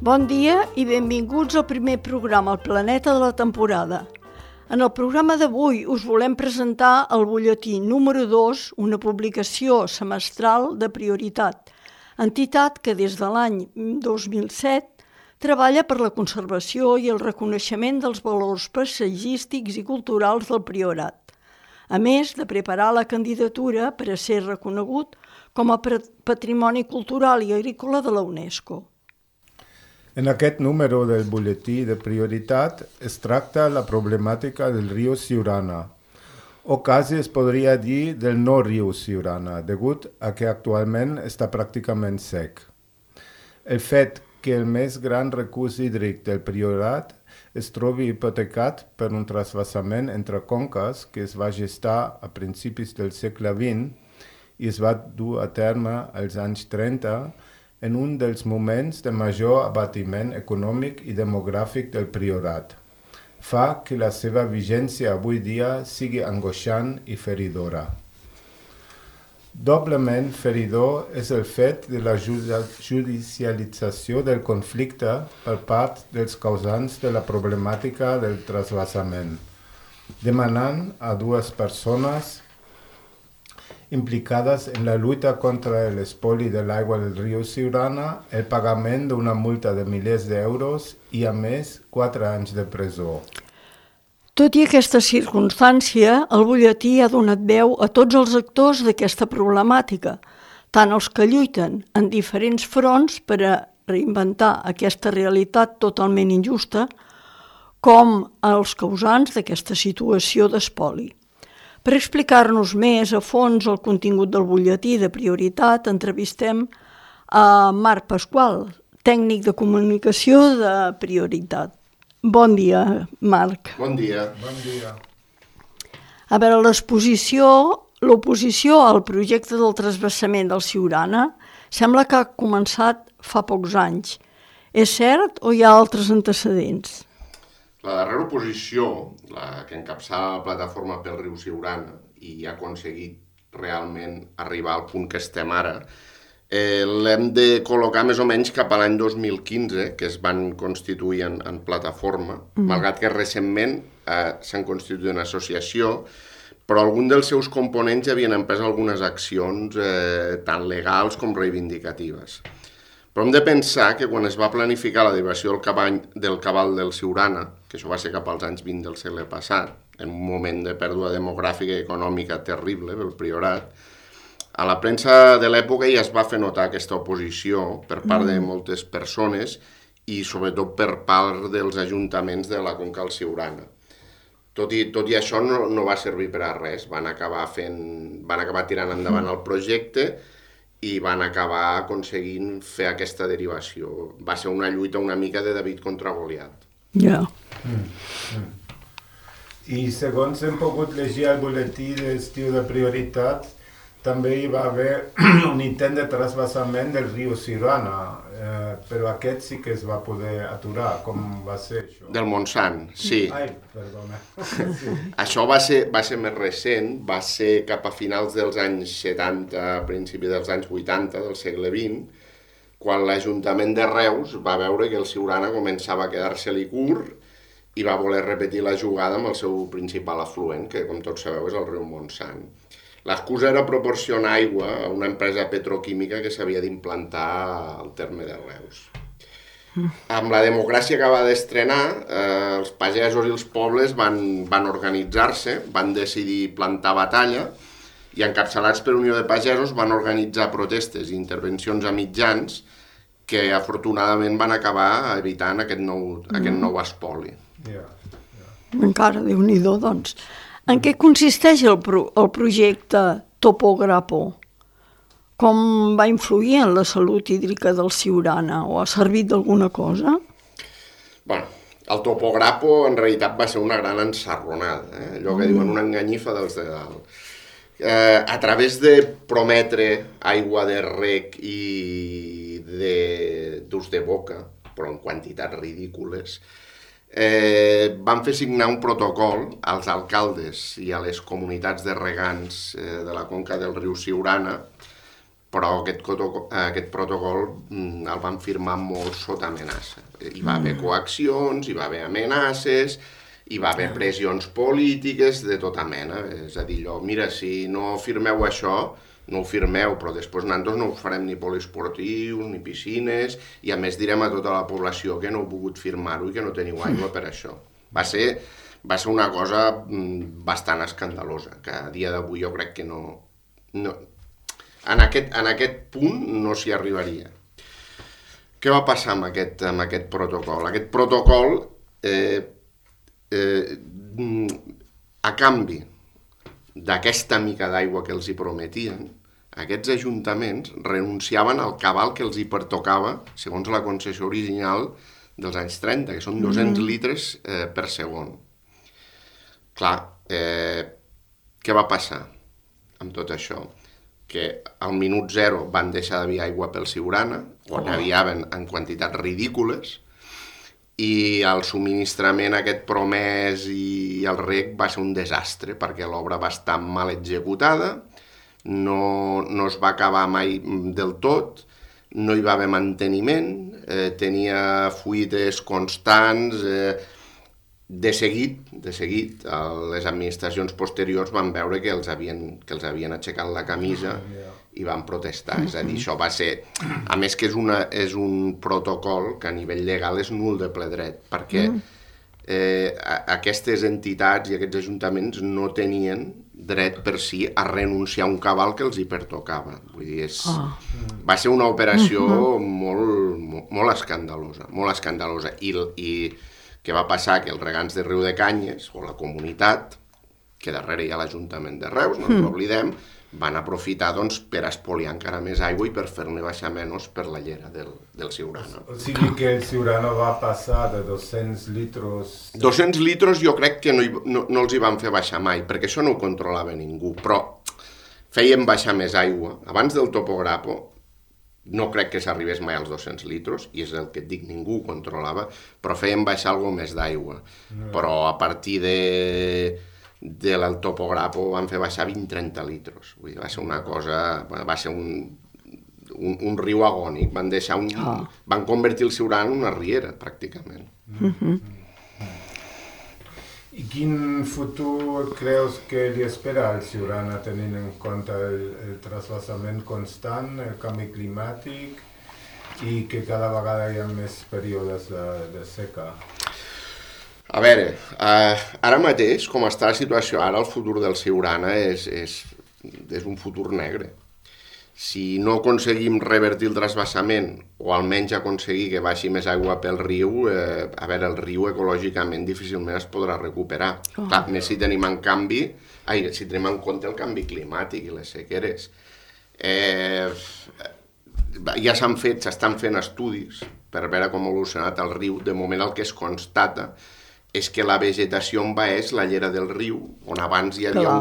Bon dia i benvinguts al primer programa El Planeta de la temporada. En el programa d'avui us volem presentar el butlletí número 2, una publicació semestral de Prioritat, entitat que des de l'any 2007 treballa per la conservació i el reconeixement dels valors paisatgístics i culturals del Priorat, a més de preparar la candidatura per a ser reconegut com a Patrimoni Cultural i Agrícola de la UNESCO. En aquest número del butlletí de Prioritat es tracta la problemàtica del riu Siurana, o quasi es podria dir del no riu Siurana, degut a que actualment està pràcticament sec. El fet que el més gran recurs hídric del Priorat es trobi hipotecat per un trasvasament entre conques que es va gestar a principis del segle XX i es va dur a terme als anys 30 en un dels moments de major abatiment econòmic i demogràfic del Priorat, fa que la seva vigència avui dia sigui angoixant i feridora. Doblement feridor és el fet de la judicialització del conflicte per part dels causants de la problemàtica del trasvasament, demanant a dues persones implicades en la lluita contra l'espoli de l'aigua del riu Siurana el pagament d'una multa de milers d'euros i, a més, 4 anys de presó. Tot i aquesta circumstància, el butlletí ha donat veu a tots els actors d'aquesta problemàtica, tant els que lluiten en diferents fronts per a reinventar aquesta realitat totalment injusta, com als causants d'aquesta situació d'espoli. Per explicar-nos més a fons el contingut del butlletí de Prioritat, entrevistem a Marc Pasqual, tècnic de comunicació de Prioritat. Bon dia, Marc. Bon dia. Bon dia. A veure, l'oposició al projecte del trasbassament del Siurana sembla que ha començat fa pocs anys. És cert o hi ha altres antecedents? La darrera oposició, la que encapçala la plataforma pel riu Siurana i ha aconseguit realment arribar al punt que estem ara, l'hem de col·locar més o menys cap a l'any 2015, que es van constituir en plataforma, malgrat que recentment s'han constituït en associació, però alguns dels seus components ja havien emprès algunes accions tant legals com reivindicatives. Però hem de pensar que quan es va planificar la derivació del cabal del Siurana, que això va ser cap als anys 20 del segle passat, en un moment de pèrdua demogràfica i econòmica terrible pel Priorat, a la premsa de l'època ja es va fer notar aquesta oposició per part de moltes persones i sobretot per part dels ajuntaments de la conca del Siurana. Tot i això no va servir per a res, van acabar tirant endavant el projecte i van acabar aconseguint fer aquesta derivació. Va ser una lluita una mica de David contra Goliat. Ja. I segons hem pogut llegir al butlletí d'estiu de Prioritat, també hi va haver un intent de trasbassament del riu Siurana, però aquest sí que es va poder aturar. Com va ser això? Del Montsant, sí. Ai, perdona. Sí. Això va ser més recent, va ser cap a finals dels anys 70, a principi dels anys 80 del segle XX, quan l'Ajuntament de Reus va veure que el Siurana començava a quedar-se-li curt i va voler repetir la jugada amb el seu principal afluent, que com tots sabeu és el riu Montsant. L'excusa era proporcionar aigua a una empresa petroquímica que s'havia d'implantar al terme de Reus. Amb la democràcia que va d'estrenar, els pagesos i els pobles van organitzar-se, van decidir plantar batalla i encapçalats per Unió de Pagesos van organitzar protestes i intervencions a mitjans que afortunadament van acabar evitant aquest nou espoli. Encara, Déu-n'hi-do, doncs. En què consisteix el projecte Topograpo? Com va influir en la salut hídrica del Siurana? O ha servit d'alguna cosa? Bueno, el Topograpo en realitat va ser una gran ensarronada, allò que diuen una enganyifa dels de dalt. A través de prometre aigua de rec i d'ús de boca, però en quantitats ridícules, van fer signar un protocol als alcaldes i a les comunitats de regants de la conca del riu Siurana, però però aquest protocol el van firmar molt sota amenaça. Hi va haver coaccions, hi va haver amenaces, hi va haver pressions polítiques de tota mena. És a dir, mira, si no firmeu això, no ho firmeu, però després nosaltres no us farem ni poliesportius, ni piscines, i a més direm a tota la població que no heu pogut firmar-ho i que no teniu aigua per això. Va ser una cosa bastant escandalosa, que a dia d'avui jo crec que no en aquest punt no s'hi arribaria. Què va passar amb aquest protocol? Aquest protocol, a canvi d'aquesta mica d'aigua que els hi prometien, aquests ajuntaments renunciaven al cabal que els hi pertocava, segons la concessió original dels anys 30, que són 200 litres per segon. Clar, què va passar amb tot això? Que al minut zero van deixar d'haver aigua pel Siurana, o n'haviaven en quantitats ridícules, i el subministrament aquest promès i el reg va ser un desastre, perquè l'obra va estar mal executada, no es va acabar mai del tot, no hi va haver manteniment, tenia fuites constants. De seguit, les administracions posteriors van veure que els havien aixecat la camisa i van protestar. És a dir, això va ser... A més que és un protocol que a nivell legal és nul de ple dret, perquè aquestes entitats i aquests ajuntaments no tenien dret per si a renunciar a un cabal que els hi pertocava. Vull dir, va ser una operació molt escandalosa, molt escandalosa. I què va passar? Que els regants de Riu de Canyes, o la comunitat, que darrere hi ha l'Ajuntament de Reus, no ens oblidem, van aprofitar per espoliar encara més aigua i per fer-ne baixar menys per la llera del Siurana. O sigui que el Siurana va passar de 200 litros... 200 litros jo crec que no els hi van fer baixar mai, perquè això no ho controlava ningú, però feien baixar més aigua. Abans del topograpo, no crec que s'arribés mai als 200 litros, i és el que et dic, ningú ho controlava, però feien baixar alguna més d'aigua. Però a partir del topograpo van fer baixar 20-30 litros. Vull dir, va ser una cosa... Va ser un riu agònic. Van convertir el Siurana en una riera, pràcticament. I quin futur creus que li espera al Siurana tenint en compte el trasvasament constant, el canvi climàtic i que cada vegada hi ha més períodes de seca? A veure, ara mateix, com està la situació, ara el futur del Siurana és un futur negre. Si no aconseguim revertir el trasvasament, o almenys aconseguir que baixi més aigua pel riu, el riu ecològicament difícilment es podrà recuperar. Clar, més si tenim en compte el canvi climàtic i les sequeres. Ja s'estan fent estudis per veure com ha evolucionat el riu. De moment el que es constata és que la vegetació envaeix la llera del riu, on abans hi havia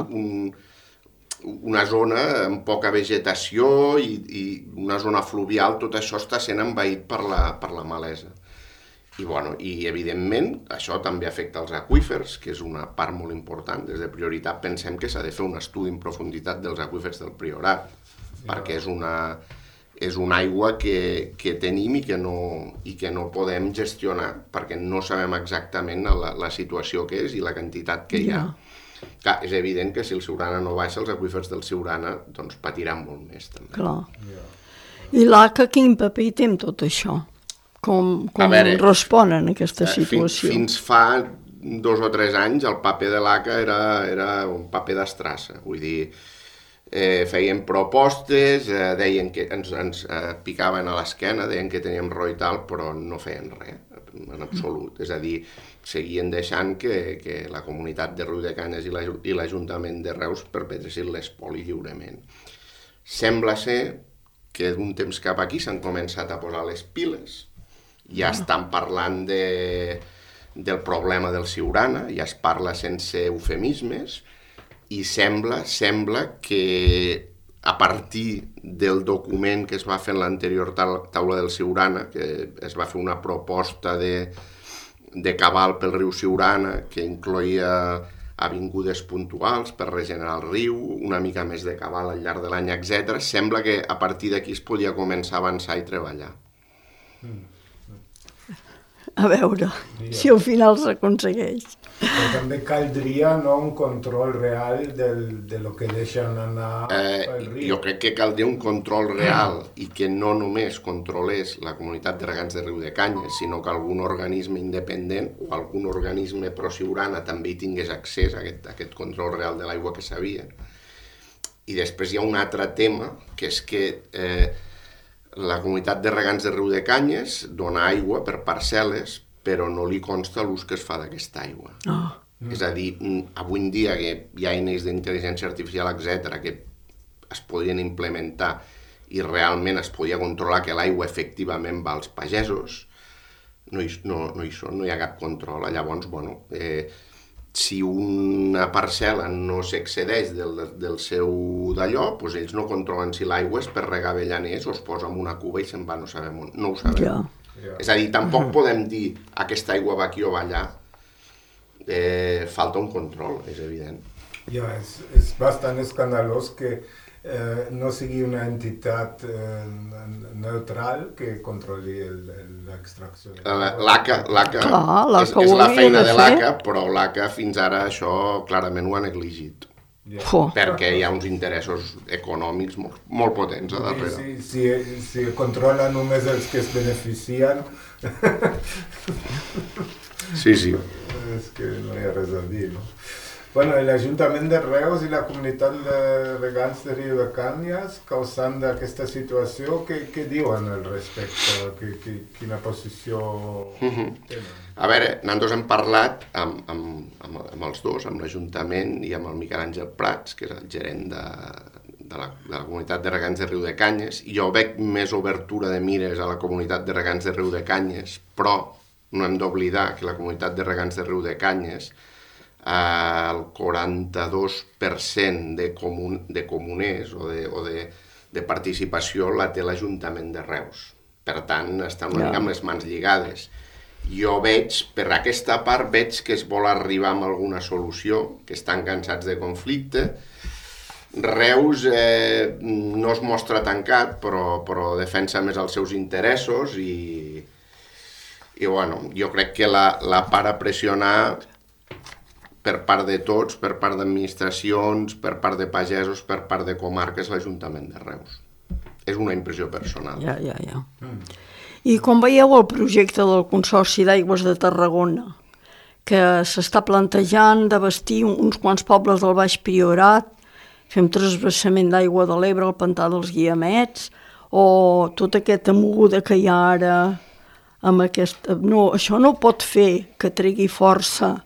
una zona amb poca vegetació i una zona fluvial, tot això està sent envaït per la malesa. I evidentment, això també afecta els aqüífers, que és una part molt important. Des de Prioritat pensem que s'ha de fer un estudi en profunditat dels aqüífers del Priorat, perquè és una aigua que tenim i que no podem gestionar, perquè no sabem exactament la situació que és i la quantitat que hi ha. Clar, és evident que si el Siurana no baixa, els aqüífers del Siurana patiran molt més, també. Clar. I l'ACA quin paper té en tot això? Com respon en aquesta situació? Fins fa 2 o 3 anys el paper de l'ACA era un paper d'estrassa. Vull dir, feien propostes, deien que ens picaven a l'esquena, deien que teníem raó i tal, però no feien res, en absolut. És a dir, seguien deixant que la comunitat de Riu de Canyes i l'Ajuntament de Reus perpetressin l'espoli lliurement. Sembla ser que d'un temps cap aquí s'han començat a posar les piles, ja estan parlant del problema del Siurana, ja es parla sense eufemismes, i sembla que a partir del document que es va fer en l'anterior taula del Siurana, que es va fer una proposta de cabal pel riu Siurana, que incloïa avingudes puntuals per regenerar el riu, una mica més de cabal al llarg de l'any, etc. Sembla que a partir d'aquí es podia començar a avançar i treballar. A veure si al final s'aconsegueix. Però també caldria un control real de lo que deixen anar pel riu. Jo crec que caldria un control real i que no només controlés la comunitat de regants de Riu de Canyes, sinó que algun organisme independent o algun organisme pro-Siurana també hi tingués accés a aquest control real de l'aigua que sabia. I després hi ha un altre tema, que és que la comunitat de regants de Riu de Canyes dona aigua per parcel·les, però no li consta l'ús que es fa d'aquesta aigua. És a dir, avui en dia que hi ha eines d'intel·ligència artificial, etc., que es podrien implementar i realment es podia controlar que l'aigua efectivament va als pagesos, no hi ha cap control. Llavors, si una parcel·la no s'excedeix del seu d'allò, doncs ells no controlen si l'aigua és per regar avellaners o es posa en una cuba i se'n va, no ho sabem. Ja. És a dir, tampoc podem dir aquesta aigua va aquí o va allà. Falta un control, és evident. Ja, és bastant escandalós que no sigui una entitat neutral que controli l'extracció. L'ACA és la feina de l'ACA, però l'ACA fins ara això clarament ho ha negligit. Perquè hi ha uns interessos econòmics molt potents a darrere. Si controla només els que es beneficien... Sí. És que no hi ha res a dir, no? Bueno, l'Ajuntament de Reus i la comunitat de regants de Riu de Canyes, causant d'aquesta situació, què diuen al respecte? Quina posició tenen? A veure, nosaltres hem parlat amb els dos, amb l'Ajuntament i amb el Miquel Àngel Prats, que és el gerent de la comunitat de regants de Riu de Canyes. Jo veig més obertura de mires a la comunitat de regants de Riu de Canyes, però no hem d'oblidar que la comunitat de regants de Riu de Canyes, el 42% de comuners o de participació la té l'Ajuntament de Reus. Per tant, estan una mica amb les mans lligades. Jo per aquesta part, veig que es vol arribar a alguna solució, que estan cansats de conflicte. Reus no es mostra tancat, però defensa més els seus interessos i jo crec que la part a pressionar per part de tots, per part d'administracions, per part de pagesos, per part de comarques, l'Ajuntament de Reus. És una impressió personal. Ja. I com veieu el projecte del Consorci d'Aigües de Tarragona, que s'està plantejant d'abastir uns quants pobles del Baix Priorat, fer un transvasament d'aigua de l'Ebre al pantà dels Guiamets, o tota aquesta moguda que hi ha ara amb aquesta... No, això no pot fer que tregui força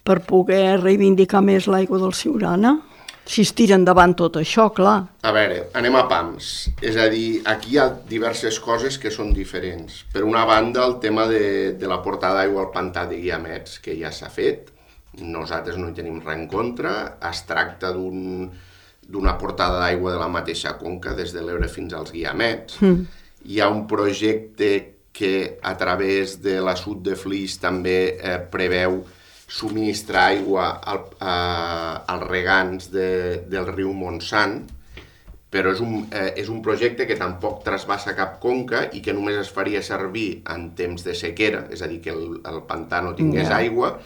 per poder reivindicar més l'aigua del Siurana? Si es tira endavant tot això, clar. A veure, anem a pams. És a dir, aquí hi ha diverses coses que són diferents. Per una banda, el tema de la portada d'aigua al pantà de Guiamets, que ja s'ha fet. Nosaltres no hi tenim res en contra. Es tracta d'una portada d'aigua de la mateixa conca, des de l'Ebre fins als Guiamets. Hi ha un projecte que a través de l'assut de Flix també preveu subministrar aigua als regants del riu Montsant, però és un projecte que tampoc trasbassa cap conca i que només es faria servir en temps de sequera, és a dir, que el pantà no tingués aigua.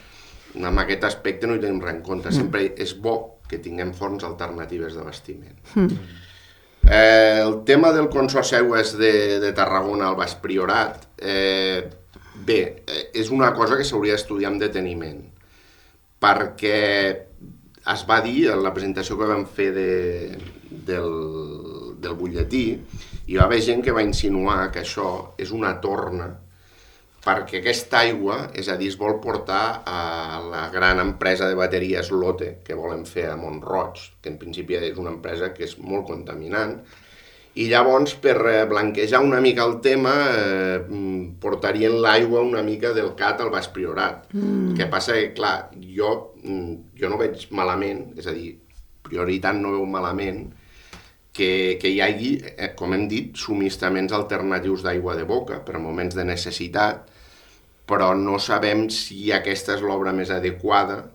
Amb aquest aspecte no hi tenim res en compte. Sempre és bo que tinguem fonts alternatives d'abastiment. El tema del Consorci Aigües de Tarragona al Baix Priorat, és una cosa que s'hauria d'estudiar amb deteniment, perquè es va dir en la presentació que vam fer del butlletí, hi va haver gent que va insinuar que això és una torna, perquè aquesta aigua, és a dir, es vol portar a la gran empresa de bateries Lotte que volen fer a Mont-roig, que en principi és una empresa que és molt contaminant, i llavors, per blanquejar una mica el tema, portarien l'aigua una mica del Cat al Baix Priorat. El que passa que, clar, jo no veig malament, és a dir, Prioritat no veu malament, que hi hagi, com hem dit, subministraments alternatius d'aigua de boca per moments de necessitat, però no sabem si aquesta és l'obra més adequada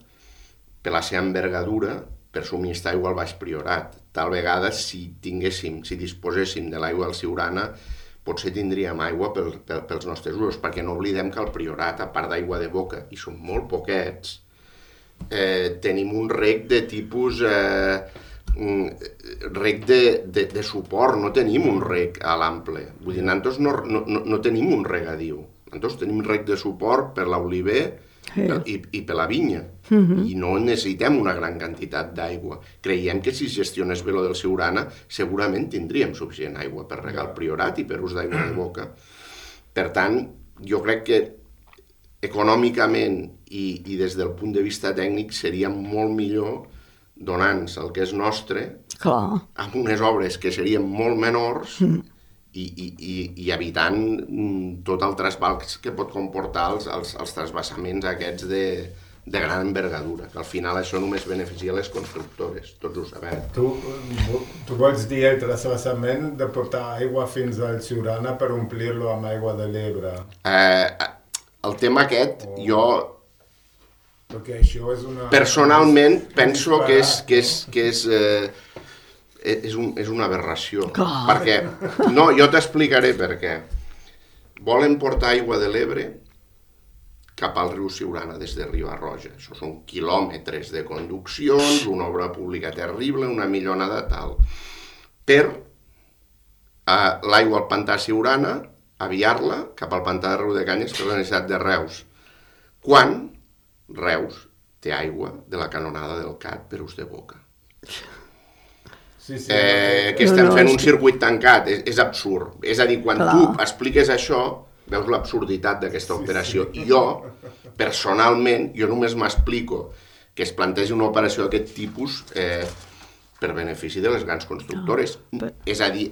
per la seva envergadura, per subministrar aigua al Baix Priorat. Tal vegada, si disposéssim de l'aigua del Siurana, potser tindríem aigua pels nostres usos, perquè no oblidem que al Priorat, a part d'aigua de boca, i són molt poquets, tenim un rec de tipus rec de suport, no tenim un rec a l'ample. Vull dir, nosaltres no tenim un regadiu. Nosaltres tenim rec de suport per l'oliver i per la vinya. I no necessitem una gran quantitat d'aigua. Creiem que si es gestionés bé lo del Siurana, segurament tindríem suficient aigua per regar el Priorat i per ús d'aigua de boca. Per tant, jo crec que econòmicament i des del punt de vista tècnic seria molt millor donar-nos el que és nostre amb unes obres que serien molt menors i evitant tot el trasbals que pot comportar els trasbassaments aquests de gran envergadura, que al final això només beneficia les constructores, tots ho sabem. Tu vols dir el trasbassament de portar aigua fins al Siurana per omplir-lo amb aigua de l'Ebre? El tema aquest, jo perquè això és una... personalment penso que és una aberració. Perquè, no, jo t'explicaré per què. Volen portar aigua de l'Ebre cap al riu Siurana des de Riba-roja. Això són quilòmetres de conduccions, una obra pública terrible, una millonada tal. Per l'aigua al pantà Siurana, aviar-la cap al pantà de Riudecanyes per la necessitat de Reus. Quan Reus té aigua de la canonada del Cat per ús de boca. Que estem fent un circuit tancat, és absurd. És a dir, quan tu expliques això, veus l'absurditat d'aquesta operació. I jo, personalment, només m'explico que es plantegi una operació d'aquest tipus per benefici de les grans constructores. És a dir,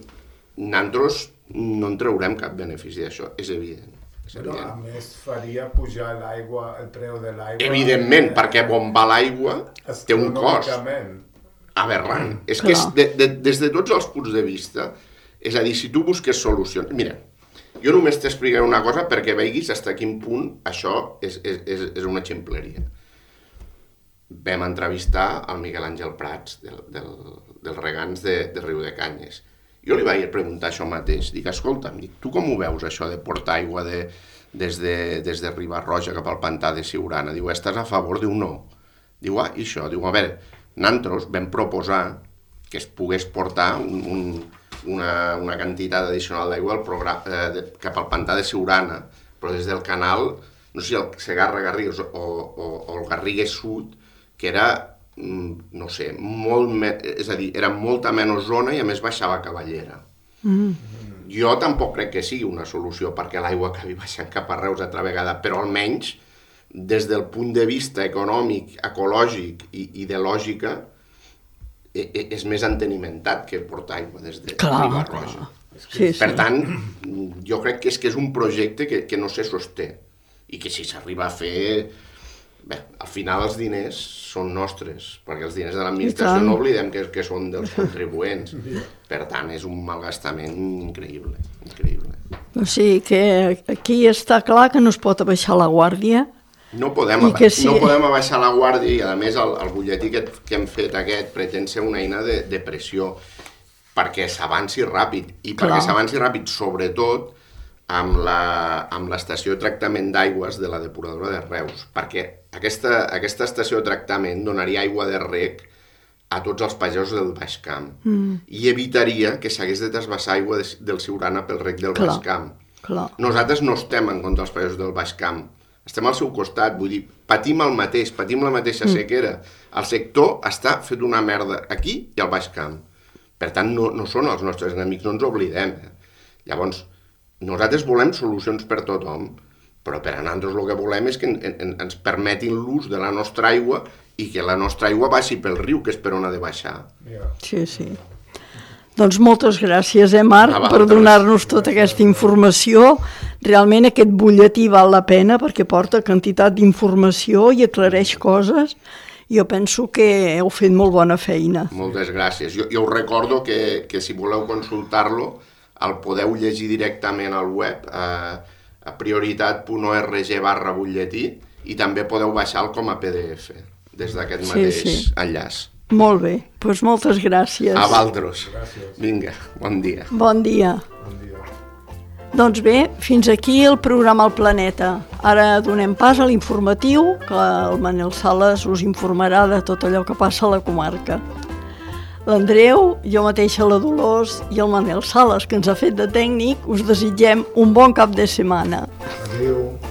nosaltres no en traurem cap benefici d'això, és evident. Però a més faria pujar l'aigua, el preu de l'aigua... Evidentment, perquè bombar l'aigua té un cost aberrant. És que des de tots els punts de vista, és a dir, si tu busques solucions... Mira, jo només t'explicaré una cosa perquè veiguis fins a quin punt això és una ximpleria. Vam entrevistar el Miguel Àngel Prats, dels regants de Riudecanyes. Jo li vaig preguntar això mateix. Dic, escolta'm, tu com ho veus, això de portar aigua des de Riba-roja cap al pantà de Siurana? Diu, estàs a favor? Diu, no. Diu, i això? Diu, a veure, nosaltres vam proposar que es pogués portar una quantitat addicional d'aigua cap al pantà de Siurana, però des del canal, no sé si el Segarra-Garrigues o el Garrigues Sud, que era... no sé, és a dir, era molta menys zona i a més baixava Cavallera. Jo tampoc crec que sigui una solució perquè l'aigua acabi baixant cap a Reus altra vegada, però almenys des del punt de vista econòmic, ecològic i de lògica és més entenimentat que portar aigua des de Riba-roja. Per tant, jo crec que és un projecte que no se sosté i que si s'arriba a fer... Bé, al final els diners són nostres, perquè els diners de l'administració no oblidem que són dels contribuents. Per tant, és un malgastament increïble. O sigui que aquí està clar que no es pot abaixar la guàrdia. No podem abaixar la guàrdia i, a més, el butlletí que hem fet aquest pretén ser una eina de pressió perquè s'avanci ràpid. I perquè s'avanci ràpid, sobretot, amb l'estació de tractament d'aigües de la depuradora de Reus, perquè aquesta estació de tractament donaria aigua de reg a tots els pagesos del Baix Camp i evitaria que s'hagués de trasbassar aigua del Siurana pel reg del Baix Camp. Nosaltres no estem en contra dels pagesos del Baix Camp, estem al seu costat, vull dir, patim el mateix, patim la mateixa sequera. El sector està fet una merda aquí i al Baix Camp. Per tant, no són els nostres enemics, no ens oblidem. Llavors, nosaltres volem solucions per tothom, però per a nosaltres el que volem és que ens permetin l'ús de la nostra aigua i que la nostra aigua baixi pel riu, que és per on ha de baixar. Sí. Doncs moltes gràcies, Marc, per donar-nos tota aquesta informació. Realment aquest butlletí val la pena perquè porta quantitat d'informació i aclareix coses. Jo penso que heu fet molt bona feina. Moltes gràcies. Jo us recordo que si voleu consultar-lo el podeu llegir directament al web a prioritat.org/butlletí i també podeu baixar-lo com a PDF. des d'aquest mateix enllaç. Molt bé, doncs moltes gràcies. A Valdros. Vinga, bon dia. Bon dia. Doncs bé, fins aquí el programa El Planeta. Ara donem pas a l'informatiu, que el Manel Sales us informarà de tot allò que passa a la comarca. L'Andreu, jo mateixa, la Dolors i el Manel Sales, que ens ha fet de tècnic, us desitgem un bon cap de setmana. Adéu.